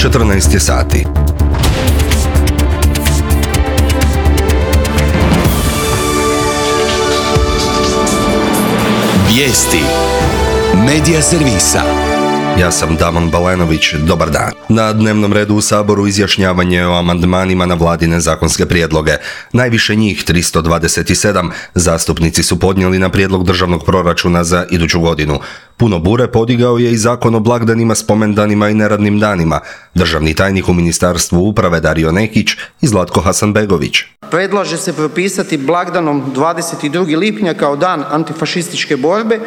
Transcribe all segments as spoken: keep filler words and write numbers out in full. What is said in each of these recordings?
četrnaest je sati. Vijesti Medija servisa. Ja sam Damon Balenović, dobar dan. Na dnevnom redu u Saboru izjašnjavanje o amandmanima na vladine zakonske prijedloge. Najviše njih, tristo dvadeset sedam, zastupnici su podnijeli na prijedlog državnog proračuna za iduću godinu. Puno bure podigao je i zakon o blagdanima, spomendanima i neradnim danima. Državni tajnik u Ministarstvu uprave Dario Nekić i Zlatko Hasanbegović. Predlaže se propisati blagdanom dvadeset drugog lipnja kao dan antifašističke borbe.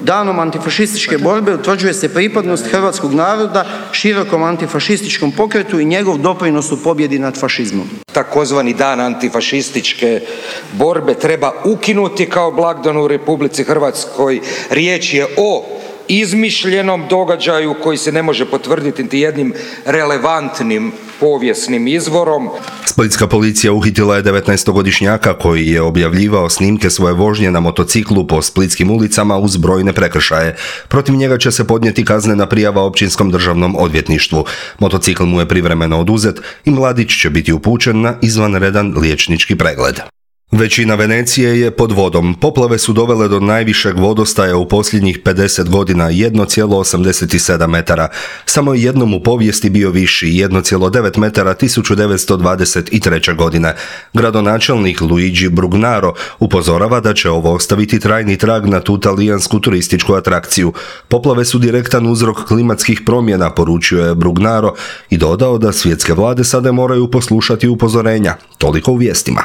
Danom antifašističke borbe utvrđuje se pripadnost hrvatskog naroda širokom antifašističkom pokretu i njegov doprinos u pobjedi nad fašizmom. Takozvani dan antifašističke borbe treba ukinuti kao blagdan u Republici Hrvatskoj. Riječ je o izmišljenom događaju koji se ne može potvrditi niti jednim relevantnim povijesnim izvorom. Splitska policija uhitila je devetnaestogodišnjaka koji je objavljivao snimke svoje vožnje na motociklu po splitskim ulicama uz brojne prekršaje. Protiv njega će se podnijeti kaznena prijava Općinskom državnom odvjetništvu. Motocikl mu je privremeno oduzet i mladić će biti upućen na izvanredan liječnički pregled. Većina Venecije je pod vodom. Poplave su dovele do najvišeg vodostaja u posljednjih pedeset godina, jedan zarez osamdeset sedam metara. Samo je jednom u povijesti bio viši, jedan zarez devet metara tisuću devetsto dvadeset treće. godine. Gradonačelnik Luigi Brugnaro upozorava da će ovo ostaviti trajni trag na tu talijansku turističku atrakciju. Poplave su direktan uzrok klimatskih promjena, poručio je Brugnaro i dodao da svjetske vlade sada moraju poslušati upozorenja. Toliko u vijestima.